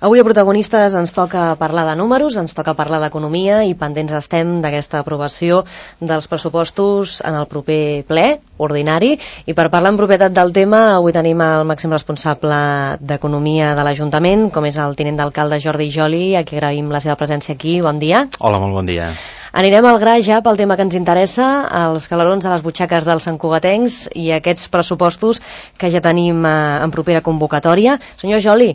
Avui a Protagonistes ens toca parlar de números, ens toca parlar d'economia i pendents estem d'aquesta aprovació dels pressupostos en el proper ple ordinari. I per parlar en propietat del tema, avui tenim el màxim responsable d'Economia de l'Ajuntament, com és el tinent d'alcalde Jordi Joli, a qui agraïm la seva presència aquí. Bon dia. Hola, molt bon dia. Anirem al gra ja pel tema que ens interessa, els calarons a les butxaques dels santcugatencs i aquests pressupostos que ja tenim en propera convocatòria. Senyor Joli,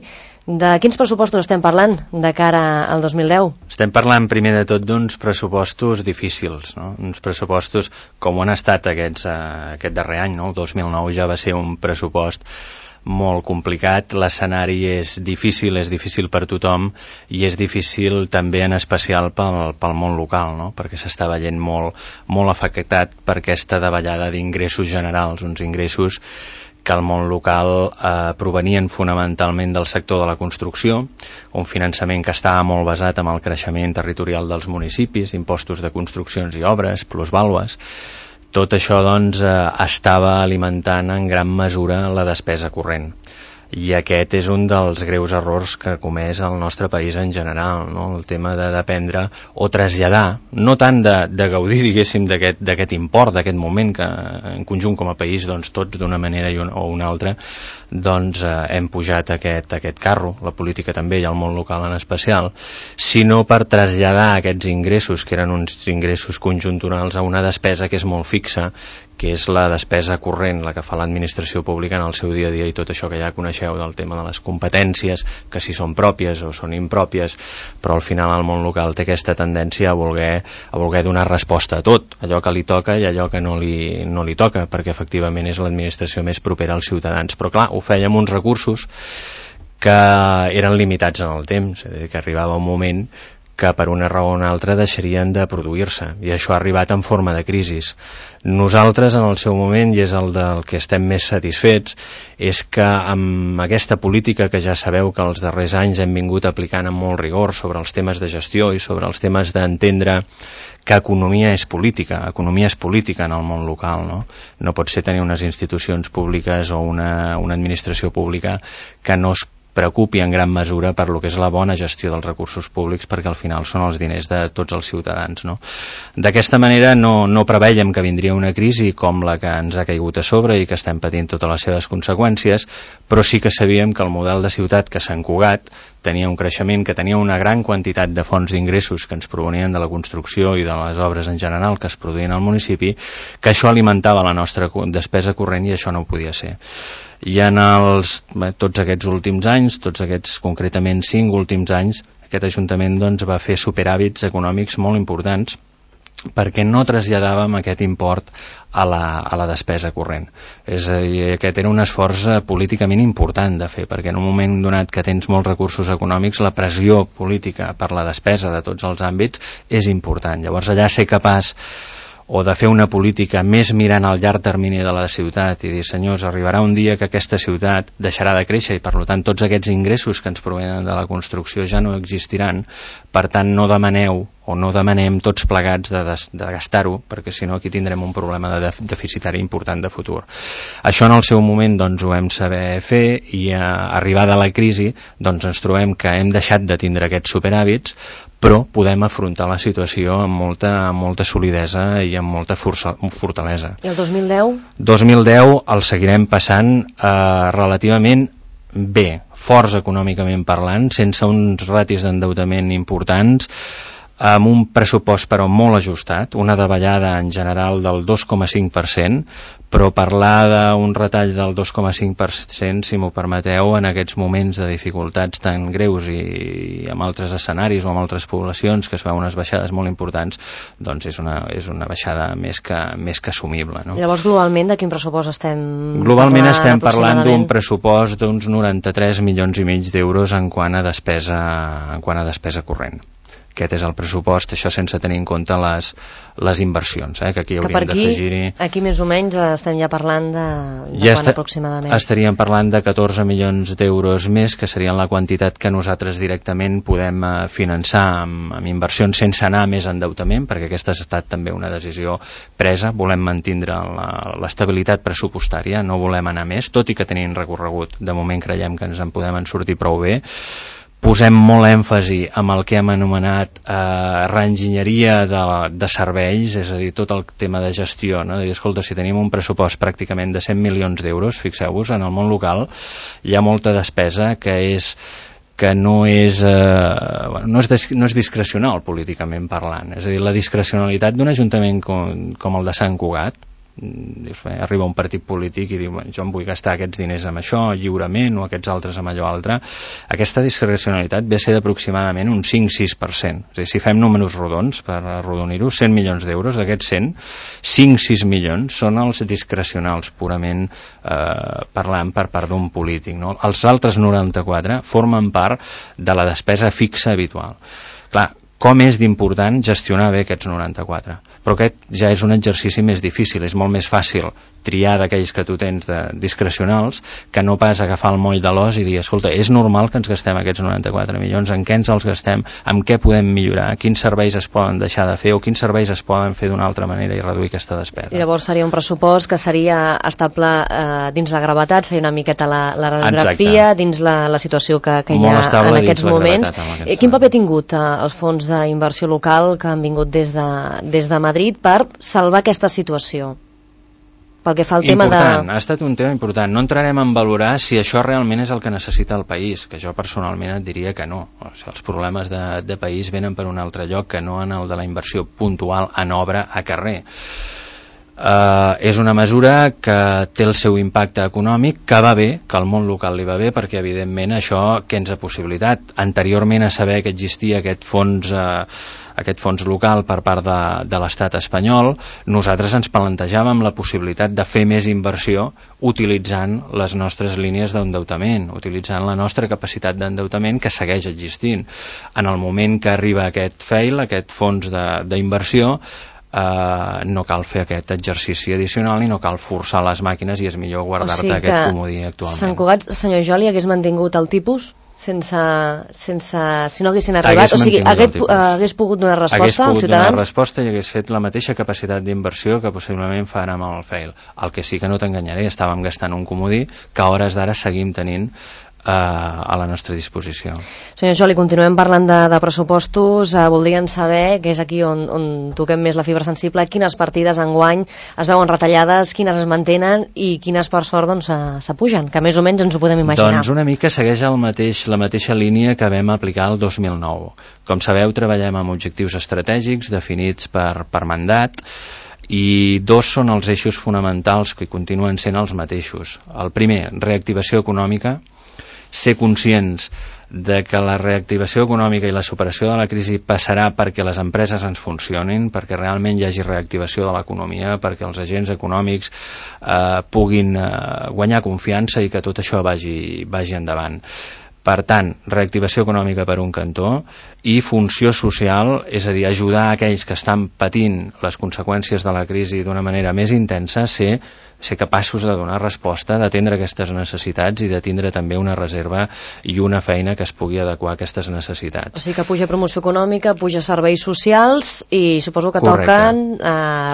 de quins pressupostos estem parlant de cara al 2010? Estem parlant primer de tot d'uns pressupostos difícils, no? Uns pressupostos com han estat aquest darrer any, no? El 2009 ja va ser un pressupost molt complicat, l'escenari és difícil per tothom i és difícil també en especial pel món local, no? Perquè s'està veient molt afectat per aquesta davallada d'ingressos generals, uns ingressos que al món local provenien fonamentalment del sector de la construcció, un finançament que estava molt basat en el creixement territorial dels municipis, impostos de construccions i obres, plusvàlues. Tot això, doncs, estava alimentant en gran mesura la despesa corrent. I aquest és un dels greus errors que ha comès el nostre país en general, no? El tema de dependre o traslladar, no tant de gaudir, diguéssim, d'aquest import, d'aquest moment que en conjunt com a país, doncs tots d'una manera o una altra, doncs hem pujat aquest carro, la política també i el món local en especial, sinó per traslladar aquests ingressos, que eren uns ingressos conjunturals, a una despesa que és molt fixa, que és la despesa corrent, la que fa l'administració pública en el seu dia a dia, i tot això que ja coneixeu del tema de les competències, que si són pròpies o són impròpies, però al final el món local té aquesta tendència a voler donar resposta a tot, allò que li toca i allò que no li toca, perquè efectivament és l'administració més propera als ciutadans. Però clar, ho feia amb uns recursos que eren limitats en el temps, és a dir, que arribava un moment que per una raó o una altra deixarien de produir-se, i això ha arribat en forma de crisis. Nosaltres, en el seu moment, i és el del que estem més satisfets, és que amb aquesta política que ja sabeu que els darrers anys hem vingut aplicant amb molt rigor sobre els temes de gestió i sobre els temes d'entendre que economia és política en el món local, no? No pot ser tenir unes institucions públiques o una administració pública que no es preocupi en gran mesura per lo que és la bona gestió dels recursos públics, perquè al final són els diners de tots els ciutadans, no? D'aquesta manera no preveiem que vindria una crisi com la que ens ha caigut a sobre i que estem patint totes les seves conseqüències, però sí que sabíem que el model de ciutat que Sant Cugat tenia un creixement, que tenia una gran quantitat de fonts d'ingressos que ens provenien de la construcció i de les obres en general que es produïen al municipi, que això alimentava la nostra despesa corrent, i això no ho podia ser. I en tots aquests últims anys, tots aquests concretament 5 últims anys, aquest Ajuntament doncs, va fer superàvits econòmics molt importants perquè no traslladàvem aquest import a la despesa corrent. És a dir, aquest era un esforç políticament important de fer, perquè en un moment donat que tens molts recursos econòmics, la pressió política per la despesa de tots els àmbits és important. Llavors allà ser capaç o de fer una política més mirant al llarg termini de la ciutat i dir, senyors, arribarà un dia que aquesta ciutat deixarà de créixer i per tant tots aquests ingressos que ens provenen de la construcció ja no existiran, per tant no demaneu o no demanem tots plegats de gastar-ho, perquè si no aquí tindrem un problema de deficitari important de futur. Això en el seu moment doncs, ho vam saber fer, i arribada la crisi doncs, ens trobem que hem deixat de tindre aquests superàvits, però podem afrontar la situació amb molta solidesa i amb molta fortalesa. I el 2010? 2010 el seguirem passant relativament bé, forts econòmicament parlant, sense uns ratis d'endeutament importants, amb un pressupost però molt ajustat, una davallada en general del 2,5%, però parlar d'un retall del 2,5%, si m'ho permeteu, en aquests moments de dificultats tan greus i amb altres escenaris o amb altres poblacions que es veuen unes baixades molt importants, doncs és una baixada més que assumible, no? Llavors, globalment, de quin pressupost estem parlant? Globalment estem parlant d'un pressupost d'uns 93 milions i mig d'euros en quant a despesa corrent. Aquest és el pressupost, això sense tenir en compte les inversions, que aquí hauríem d'afegir-hi. Aquí més o menys estem ja parlant de quan aproximadament? Estaríem parlant de 14 milions d'euros més, que serien la quantitat que nosaltres directament podem finançar amb inversions sense anar a més endeutament, perquè aquesta ha estat també una decisió presa. Volem mantindre l'estabilitat pressupostària, no volem anar més, tot i que tenim recorregut. De moment creiem que ens en podem sortir prou bé. posem molt èmfasi amb el que hem anomenat reenginyeria de serveis, és a dir, tot el tema de gestió, no? De dir, escolta, si tenim un pressupost pràcticament de 100 milions d'euros, fixeu-vos, en el món local hi ha molta despesa que no és discrecional políticament parlant. És a dir, la discrecionalitat d'un ajuntament com el de Sant Cugat, dius, bé, arriba un partit polític i diu, jo em vull gastar aquests diners amb això lliurement o aquests altres amb allò altre. Aquesta discrecionalitat ve a ser d'aproximadament un 5-6%. És a dir, si fem números rodons, per arrodonir-ho, 100 milions d'euros, d'aquests 100, 5-6 milions són els discrecionals, purament parlant per part d'un polític, no? Els altres 94 formen part de la despesa fixa habitual. Clar, com és d'important gestionar bé aquests 94? Però aquest ja és un exercici més difícil, és molt més fàcil triar d'aquells que tu tens de discrecionals que no pas agafar el moll de l'os i dir, escolta, és normal que ens gastem aquests 94 milions, en què ens els gastem, en què podem millorar, quins serveis es poden deixar de fer o quins serveis es poden fer d'una altra manera i reduir aquesta despesa. I llavors seria un pressupost que seria estable dins la gravetat, seria una miqueta la radiografia, dins la situació que hi ha en aquests moments. Quin paper ha tingut els fons d'inversió local que han vingut des de Madrid per salvar aquesta situació? Pel que fa al tema ha estat un tema important. No entrarem en valorar si això realment és el que necessita el país, que jo personalment et diria que no. O sigui, els problemes de país venen per un altre lloc que no en el de la inversió puntual en obra a carrer. És una mesura que té el seu impacte econòmic, que va bé, que al món local li va bé, perquè evidentment això què ens ha possibilitat? Anteriorment a saber que existia aquest fons local per part de l'estat espanyol, nosaltres ens plantejàvem la possibilitat de fer més inversió utilitzant les nostres línies d'endeutament, utilitzant la nostra capacitat d'endeutament que segueix existint. En el moment que arriba aquest FEIL, aquest fons d'inversió, no cal fer aquest exercici addicional i no cal forçar les màquines i és millor guardar-te aquest comodí actualment. Sant Cugat, senyor Joli, hagués mantingut el tipus si no haguessin arribat, o sigui, hagués pogut donar resposta als ciutadans? Hagués pogut donar resposta i hagués fet la mateixa capacitat d'inversió que possiblement farà amb el FEIL. El que sí que no t'enganyaré, estàvem gastant un comodí que a hores d'ara seguim tenint a la nostra disposició. Senyor Joli, continuem parlant de pressupostos. Voldrien saber, que és aquí on toquem més la fibra sensible, quines partides enguany es veuen retallades, quines es mantenen i quines per sort s'apugen, que més o menys ens ho podem imaginar. Doncs una mica segueix la mateixa línia que vam aplicar el 2009. Com sabeu, treballem amb objectius estratègics definits per mandat, i dos són els eixos fonamentals que continuen sent els mateixos. El primer, reactivació econòmica, ser conscients de que la reactivació econòmica i la superació de la crisi passarà perquè les empreses ens funcionin, perquè realment hi hagi reactivació de l'economia, perquè els agents econòmics puguin guanyar confiança i que tot això vagi endavant. Per tant, reactivació econòmica per un cantó i funció social, és a dir, ajudar aquells que estan patint les conseqüències de la crisi d'una manera més intensa, ser capaços de donar resposta, d'atendre aquestes necessitats i de tindre també una reserva i una feina que es pugui adequar a aquestes necessitats. O sigui que puja promoció econòmica, puja serveis socials i suposo que toquen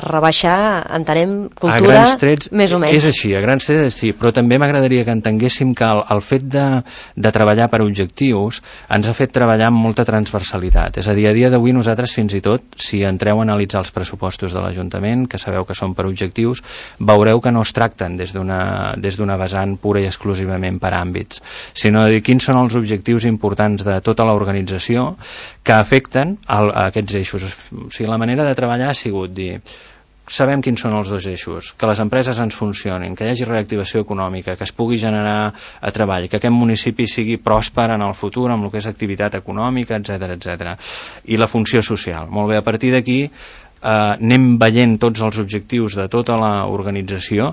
rebaixar, entenem, cultura, a grans trets, més o menys. És així, a grans trets sí, però també m'agradaria que entenguéssim que el fet de treballar per objectius ens ha fet treballar amb molta transversalitat. És a dir, a dia d'avui nosaltres fins i tot, si entreu a analitzar els pressupostos de l'Ajuntament, que sabeu que són per objectius, veureu que no es tracten des d'una vessant pura i exclusivament per àmbits, sinó de dir quins són els objectius importants de tota l'organització que afecten a aquests eixos. O sigui, la manera de treballar ha sigut dir, sabem quins són els dos eixos, que les empreses ens funcionin, que hi hagi reactivació econòmica, que es pugui generar treball, que aquest municipi sigui pròsper en el futur amb el que és activitat econòmica, etc. I la funció social. Molt bé, a partir d'aquí anem veient tots els objectius de tota l'organització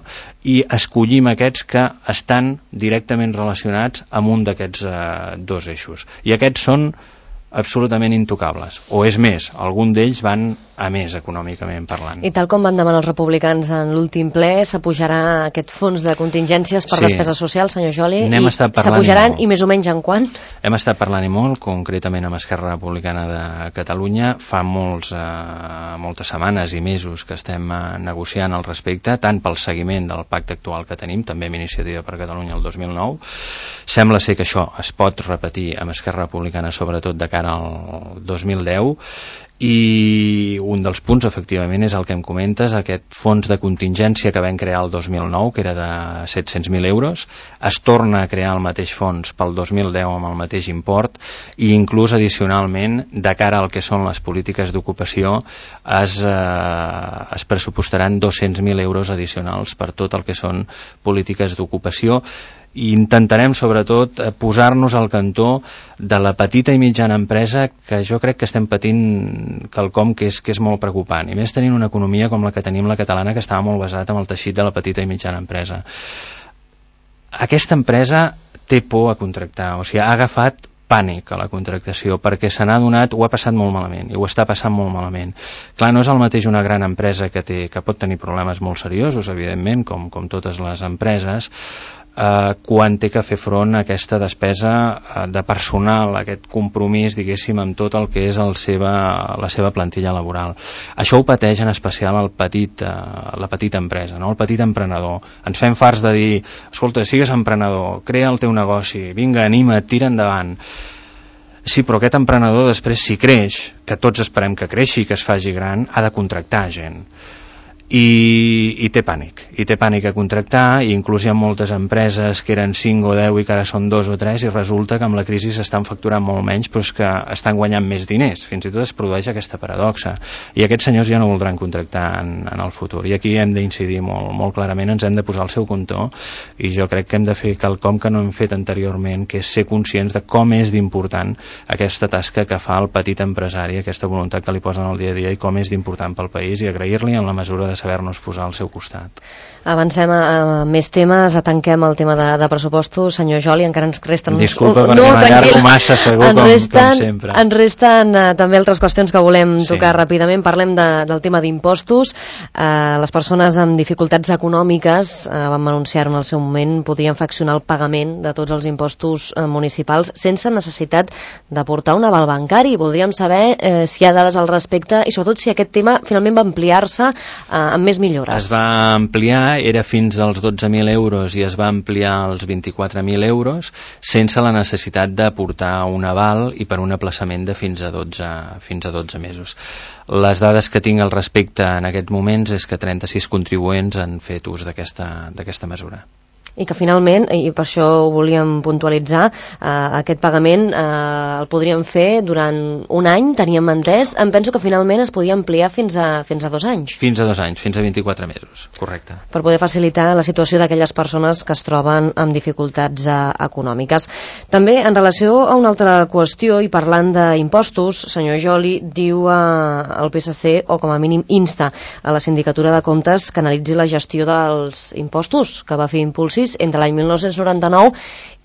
i escollim aquests que estan directament relacionats amb un d'aquests dos eixos. I aquests són absolutament intocables, o és més, algun d'ells van a més econòmicament parlant. I tal com van demanar els republicans en l'últim ple, s'apujarà aquest fons de contingències per despesa social, senyor Joli, i s'apujaran i més o menys en quant? Hem estat parlant-hi molt, concretament amb Esquerra Republicana de Catalunya, fa moltes setmanes i mesos que estem negociant al respecte, tant pel seguiment del pacte actual que tenim, també amb Iniciativa per Catalunya el 2009. Sembla ser que això es pot repetir amb Esquerra Republicana, sobretot de cara al 2010, i un dels punts efectivament és el que em comentes, aquest fons de contingència que vam crear el 2009, que era de 700.000 euros, es torna a crear el mateix fons pel 2010 amb el mateix import, i inclús addicionalment de cara al que són les polítiques d'ocupació es pressupostaran 200.000 euros addicionals per tot el que són polítiques d'ocupació, i intentarem sobretot posar-nos al cantó de la petita i mitjana empresa, que jo crec que estem patint quelcom que és molt preocupant, i més tenint una economia com la que tenim la catalana, que estava molt basat en el teixit de la petita i mitjana empresa. Aquesta empresa té por a contractar, o sigui, ha agafat pànic a la contractació, perquè se n'ha adonat, ho ha passat molt malament, i ho està passant molt malament. Clar, no és el mateix una gran empresa que pot tenir problemes molt seriosos, evidentment, com totes les empreses, quan té que fer front a aquesta despesa de personal, aquest compromís, diguéssim, amb tot el que és la seva plantilla laboral. Això ho pateix en especial la petita empresa, no? El petit emprenedor. Ens fem farts de dir, escolta, sigues emprenedor, crea el teu negoci, vinga, anima't, tira endavant. Sí, però aquest emprenedor després, si creix, que tots esperem que creixi, que es faci gran, ha de contractar gent. I té pànic a contractar, i inclús hi ha moltes empreses que eren 5 o 10 i que ara són 2 o 3, i resulta que amb la crisi s'estan facturant molt menys, però és que estan guanyant més diners. Fins i tot es produeix aquesta paradoxa, i aquests senyors ja no voldran contractar en el futur, i aquí hem d'incidir molt clarament, ens hem de posar al seu comptó, i jo crec que hem de fer quelcom que no hem fet anteriorment, que és ser conscients de com és d'important aquesta tasca que fa el petit empresari, aquesta voluntat que li posen al dia a dia, i com és d'important pel país, i agrair-li en la mesura de saber-nos posar al seu costat. Avancem a més temes, tanquem el tema de pressupostos. Senyor Joli, encara ens resten... Disculpa perquè m'allargo massa, segur, com sempre. Ens resten també altres qüestions que volem tocar ràpidament. Parlem del tema d'impostos. Les persones amb dificultats econòmiques, vam anunciar en el seu moment, podrien fraccionar el pagament de tots els impostos municipals sense necessitat d'aportar un aval bancari. Voldríem saber si hi ha dades al respecte i sobretot si aquest tema finalment va ampliar-se amb més millores. Es va ampliar, era fins als 12.000 euros i es va ampliar als 24.000 euros sense la necessitat d'aportar un aval i per un aplaçament de fins a 12 mesos. Les dades que tinc al respecte en aquests moments és que 36 contribuents han fet ús d'aquesta mesura. I que finalment, i per això ho volíem puntualitzar, aquest pagament el podríem fer durant un any, teníem entès. Em penso que finalment es podia ampliar fins a 2 anys. Fins a 2 anys, fins a 24 mesos, correcte. Per poder facilitar la situació d'aquelles persones que es troben amb dificultats econòmiques. També, en relació a una altra qüestió, i parlant d'impostos, senyor Joli, diu el PSC, o com a mínim insta a la Sindicatura de Comptes, que analitzi la gestió dels impostos que va fer Impulsi entre l'any 1999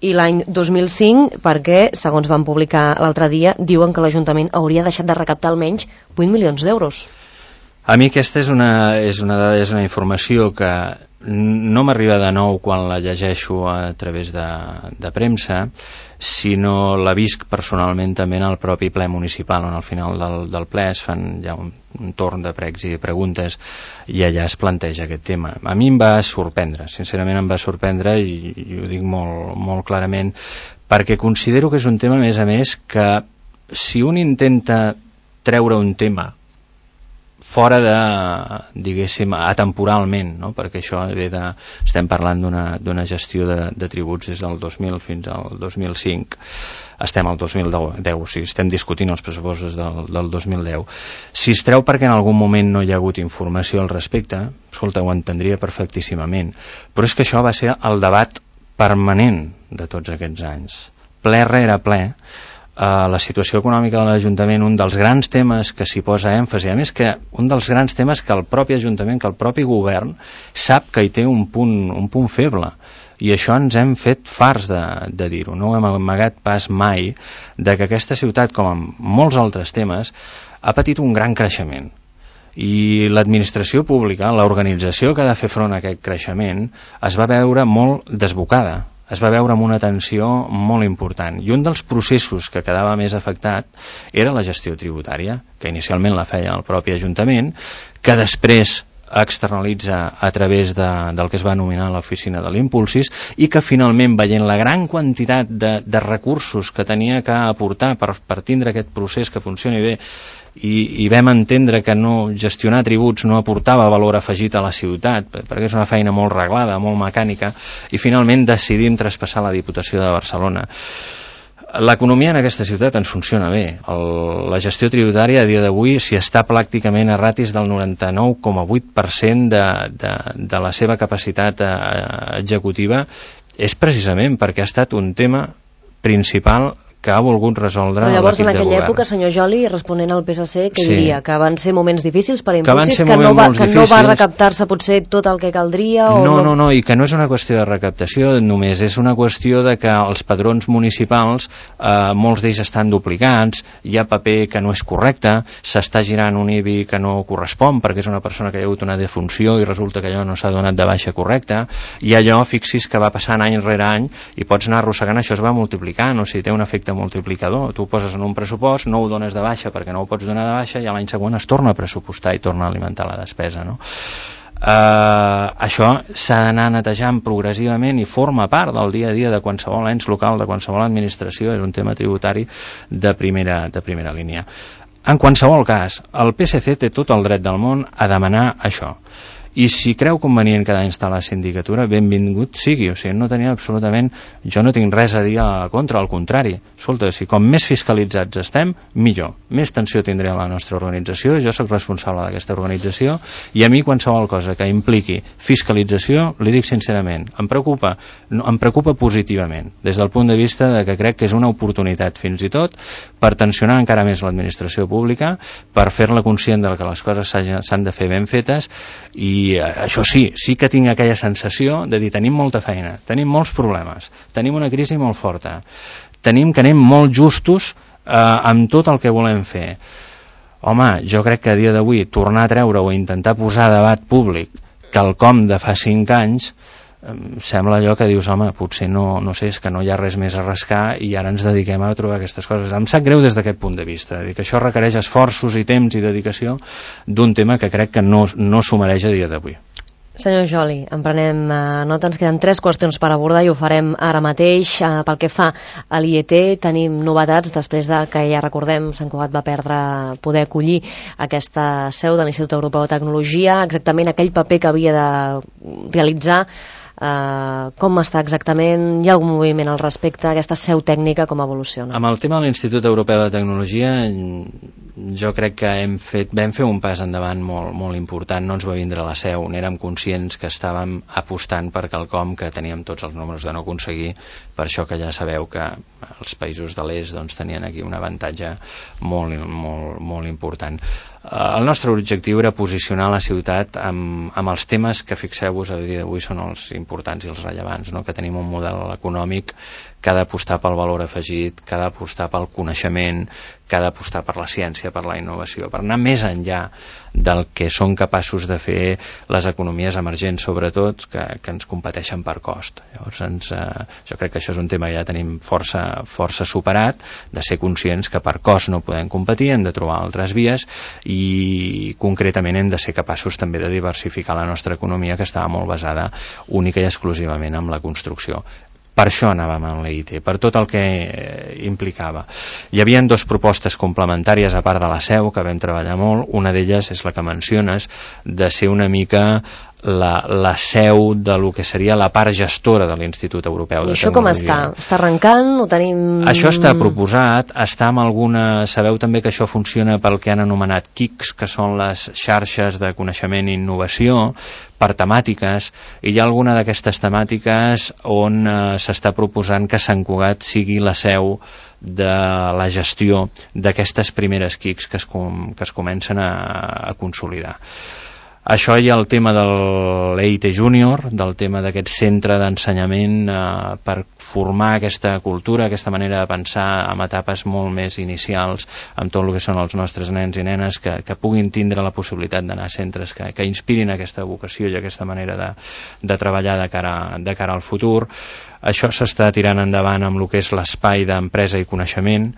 i l'any 2005, perquè, segons van publicar l'altre dia, diuen que l'Ajuntament hauria deixat de recaptar almenys 8 milions d'euros. A mi aquesta és una informació que no m'arriba de nou quan la llegeixo a través de premsa, sinó la visc personalment també en el propi ple municipal, on al final del ple es fan ja un torn de pregs i preguntes i allà es planteja aquest tema. A mi em va sorprendre, sincerament em va sorprendre, i ho dic molt clarament, perquè considero que és un tema, a més, que si un intenta treure un tema fora de, diguéssim, atemporalment, no? Perquè això estem parlant d'una gestió de tributs des del 2000 fins al 2005, estem al 2010, o sigui, estem discutint els pressupostos del 2010. Si es treu perquè en algun moment no hi ha hagut informació al respecte, escolta, ho entendria perfectíssimament, però és que això va ser el debat permanent de tots aquests anys, ple rere ple. La situació econòmica de l'Ajuntament, un dels grans temes que s'hi posa èmfasi, a més que un dels grans temes que el propi Ajuntament, que el propi govern sap que hi té un punt feble. I això ens hem fet farts de dir-ho, no hem amagat pas mai de que aquesta ciutat, com en molts altres temes, ha patit un gran creixement. I l'administració pública, l'organització que ha de fer front a aquest creixement, es va veure molt desbocada, es va veure amb una tensió molt important. I un dels processos que quedava més afectat era la gestió tributària, que inicialment la feia el propi Ajuntament, que després externalitza a través del que es va anomenar l'oficina de l'Impulsis, i que finalment, veient la gran quantitat de recursos que tenia que aportar per tindre aquest procés que funcioni bé, i vam entendre que no gestionar tributs no aportava valor afegit a la ciutat, perquè és una feina molt reglada, molt mecànica, i finalment decidim traspassar a la Diputació de Barcelona. L'economia en aquesta ciutat ens funciona bé. La gestió tributària a dia d'avui, si està pràcticament a ratis del 99,8% de la seva capacitat executiva, és precisament perquè ha estat un tema principal que ha volgut resoldre l'equip de govern. Llavors, en aquella època, senyor Joli, responent al PSC, què diria? Que van ser moments difícils per Impulsis, que no va recaptar-se potser tot el que caldria? No, i que no és una qüestió de recaptació només, és una qüestió de que els padrons municipals, molts d'ells estan duplicats, hi ha paper que no és correcte, s'està girant un IBI que no correspon, perquè és una persona que hi ha hagut una defunció i resulta que allò no s'ha donat de baixa correcta, i allò, fixis, que va passant any rere any, i pots anar arrossegant, això es va multiplicant, o sigui, té un efecte multiplicador. Tu ho poses en un pressupost, no ho dones de baixa perquè no ho pots donar de baixa, i a l'any següent es torna a pressupostar i torna a alimentar la despesa, no? Això s'ha d'anar netejant progressivament i forma part del dia a dia de qualsevol ens local, de qualsevol administració. És un tema tributari de primera línia. En qualsevol cas, el PSC té tot el dret del món a demanar això. I si creu convenient quedar instal·lar la sindicatura, benvingut sigui, o sigui, no tenia absolutament, jo no tinc res a dir a contra, al contrari. Escolta, si com més fiscalitzats estem, millor. Més tensió tindré a la nostra organització, jo sóc responsable d'aquesta organització, i a mi qualsevol cosa que impliqui fiscalització, li dic sincerament, em preocupa positivament, des del punt de vista de que crec que és una oportunitat fins i tot per tensionar encara més l'administració pública, per fer-la conscient de que les coses s'han de fer ben fetes. I això sí que tinc aquella sensació de dir, tenim molta feina, tenim molts problemes, tenim una crisi molt forta, tenim que anem molt justos amb tot el que volem fer. Home, jo crec que a dia d'avui tornar a treure o intentar posar a debat públic quelcom de fa 5 anys sembla allò que dius, home, potser no sé, és que no hi ha res més a rascar i ara ens dediquem a trobar aquestes coses. Em sap greu des d'aquest punt de vista, que això requereix esforços i temps i dedicació d'un tema que crec que no s'ho mereix a dia d'avui. Senyor Joli, en prenem nota, ens queden 3 qüestions per abordar i ho farem ara mateix. Pel que fa a l'IET, tenim novetats després de que, ja recordem, Sant Cugat va perdre poder acollir aquesta seu de l'Institut Europeu de Tecnologia, exactament aquell paper que havia de realitzar. Com està exactament? Hi ha algun moviment al respecte? Aquesta seu tècnica com evoluciona? Amb el tema de l'Institut Europeu de Tecnologia, jo crec que vam fer un pas endavant molt important. No ens va vindre la seu, n'érem conscients que estàvem apostant per quelcom que teníem tots els números de no aconseguir, per això que ja sabeu que els països de l'est tenien aquí un avantatge molt important. El nostre objectiu era posicionar la ciutat amb els temes que, fixeu-vos, a dia d'avui són els importants i els rellevants, no? Que tenim un model econòmic que ha d'apostar pel valor afegit, que ha d'apostar pel coneixement, que ha d'apostar per la ciència, per la innovació, per anar més enllà del que són capaços de fer les economies emergents, sobretot, que ens competeixen per cost. Llavors, jo crec que això és un tema que ja tenim força superat, de ser conscients que per cost no podem competir, hem de trobar altres vies, i concretament hem de ser capaços també de diversificar la nostra economia, que estava molt basada única i exclusivament en la construcció. Per això anàvem amb l'EIT, per tot el que implicava. Hi havia 2 propostes complementàries a part de la seu que vam treballar molt. Una d'elles és la que menciones, de ser una mica la seu de lo que seria la part gestora de l'Institut Europeu de Tecnologia. I això com està? Està arrencant? Ho tenim... Això està proposat, està amb alguna... Sabeu també que això funciona pel que han anomenat KICs, que són les xarxes de coneixement i innovació, per temàtiques, i hi ha alguna d'aquestes temàtiques on s'està proposant que Sant Cugat sigui la seu de la gestió d'aquestes primeres KICs que es comencen a consolidar. Això hi ha el tema de l'EIT Júnior, del tema d'aquest centre d'ensenyament per formar aquesta cultura, aquesta manera de pensar en etapes molt més inicials amb tot el que són els nostres nens i nenes, que puguin tindre la possibilitat d'anar a centres que inspirin aquesta vocació i aquesta manera de treballar de cara al futur. Això s'està tirant endavant amb el que és l'espai d'empresa i coneixement,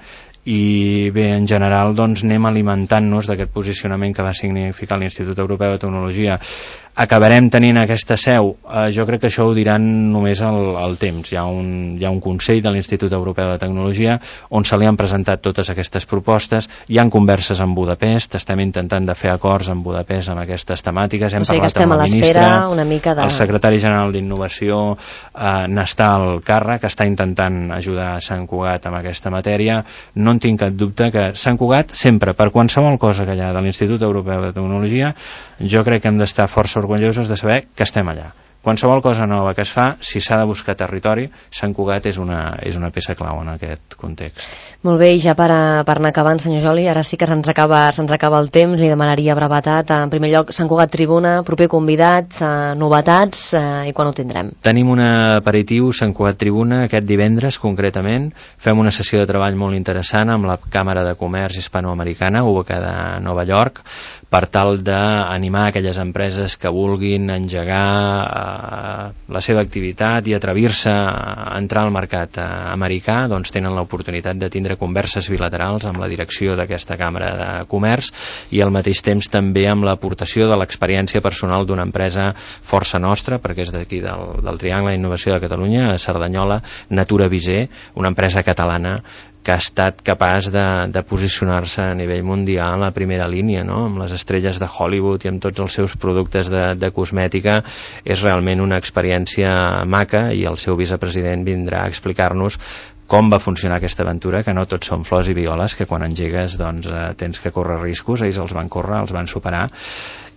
i bé, en general doncs anem alimentant-nos d'aquest posicionament que va significar l'Institut Europeu de Tecnologia. Acabarem tenint aquesta seu? Jo crec que això ho diran només al temps. Hi ha un Consell de l'Institut Europeu de Tecnologia on se li han presentat totes aquestes propostes, hi han converses amb Budapest, estem intentant de fer acords amb Budapest amb aquestes temàtiques, hem parlat amb la ministra, el secretari general d'Innovació n'està al càrrec, està intentant ajudar a Sant Cugat amb aquesta matèria. No en tinc cap dubte que Sant Cugat sempre, per qualsevol cosa que hi ha de l'Institut Europeu de Tecnologia, jo crec que hem d'estar força orgullosos de saber que estem allà. Qualsevol cosa nova que es fa, si s'ha de buscar territori, Sant Cugat és una peça clau en aquest context. Molt bé, i ja per anar acabant, senyor Joli, ara sí que se'ns acaba el temps, li demanaria brevetat. En primer lloc, Sant Cugat Tribuna, proper convidat, novetats, i quan ho tindrem? Tenim un aperitiu Sant Cugat Tribuna aquest divendres, concretament. Fem una sessió de treball molt interessant amb la Càmera de Comerç Hispanoamericana, ubicada a Nova York, per tal d'animar aquelles empreses que vulguin engegar la seva activitat i atrevir-se a entrar al mercat americà, doncs tenen l'oportunitat de tindre converses bilaterals amb la direcció d'aquesta Càmera de Comerç i al mateix temps també amb l'aportació de l'experiència personal d'una empresa força nostra, perquè és d'aquí del Triangle d'Innovació de Catalunya, a Cerdanyola, Natura Visé, una empresa catalana que ha estat capaç de posicionar-se a nivell mundial en la primera línia, no? Amb les estrelles de Hollywood i amb tots els seus productes de cosmètica. És realment una experiència maca i el seu vicepresident vindrà a explicar-nos com va funcionar aquesta aventura, que no tot són flors i violes, que quan engegues doncs, tens que córrer riscos, ells els van córrer, els van superar,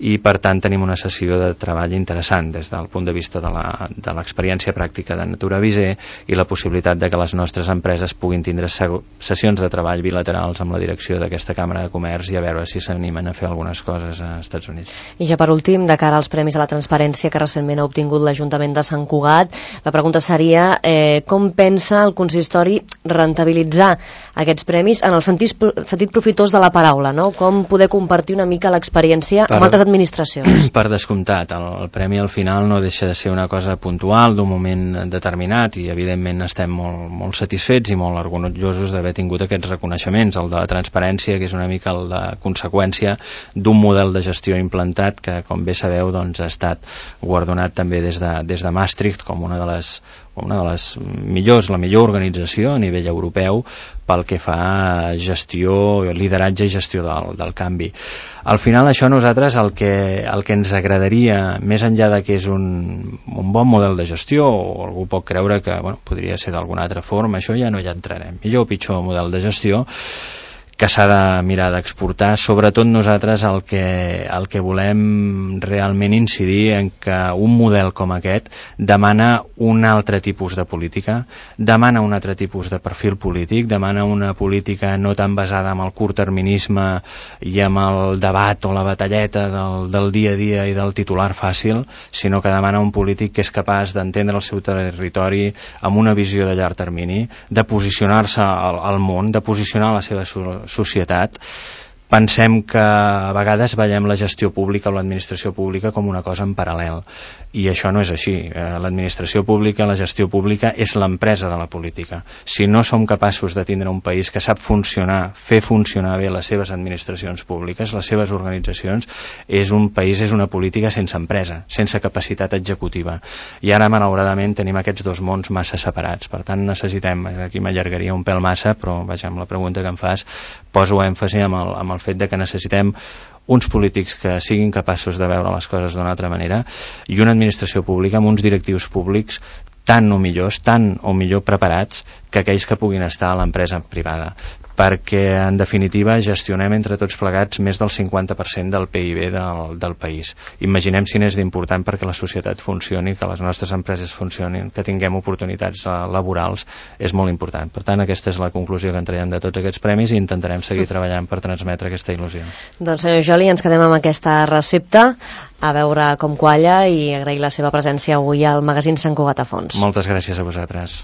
i per tant tenim una sessió de treball interessant des del punt de vista de l'experiència pràctica de Natura Visé i la possibilitat de que les nostres empreses puguin tindre sessions de treball bilaterals amb la direcció d'aquesta Càmera de Comerç i a veure si s'animen a fer algunes coses als Estats Units. I ja per últim, de cara als Premis a la Transparència que recentment ha obtingut l'Ajuntament de Sant Cugat, la pregunta seria com pensa el consistori rentabilitzar aquests premis en el sentit profitós de la paraula, no? Com poder compartir una mica l'experiència amb altres administracions? Per descomptat, el premi al final no deixa de ser una cosa puntual d'un moment determinat i evidentment estem molt satisfets i molt orgullosos d'haver tingut aquests reconeixements. El de la transparència, que és una mica la conseqüència d'un model de gestió implantat que, com bé sabeu, doncs, ha estat guardonat també des de Maastricht com una de les millors, la millor organització a nivell europeu pel que fa a gestió, lideratge i gestió del canvi. Al final això a nosaltres el que ens agradaria, més enllà de que és un bon model de gestió, o algú pot creure que podria ser d'alguna altra forma, això ja no hi entrarem. Millor o pitjor model de gestió que s'ha de mirar d'exportar. Sobretot nosaltres el que volem realment incidir en que un model com aquest demana un altre tipus de política, demana un altre tipus de perfil polític, demana una política no tan basada en el curtterminisme i amb el debat o la batalleta del dia a dia i del titular fàcil, sinó que demana un polític que és capaç d'entendre el seu territori amb una visió de llarg termini, de posicionar-se al món, de posicionar la seva societat. Pensem que a vegades veiem la gestió pública o l'administració pública com una cosa en paral·lel, i això no és així. L'administració pública, la gestió pública és l'empresa de la política. Si no som capaços de tindre un país que sap fer funcionar bé les seves administracions públiques, les seves organitzacions, és un país, és una política sense empresa, sense capacitat executiva. I ara, malauradament, tenim aquests dos mons massa separats. Per tant, necessitem, aquí m'allargaria un pèl massa, però vaja, amb la pregunta que em fas, poso èmfasi amb el fet de que necessitem uns polítics que siguin capaços de veure les coses d'una altra manera i una administració pública amb uns directius públics tan o millor preparats que aquells que puguin estar a l'empresa privada. perquè en definitiva gestionem entre tots plegats més del 50% del PIB del país. Imaginem si n'és d'important perquè la societat funcioni, que les nostres empreses funcionin, que tinguem oportunitats laborals, és molt important. Per tant, aquesta és la conclusió que en traiem de tots aquests premis i intentarem seguir treballant per transmetre aquesta il·lusió. Doncs senyor Joli, ens quedem amb aquesta recepta, a veure com qualla, i agrair la seva presència avui al magazín Sant Cugat a Fons. Moltes gràcies a vosaltres.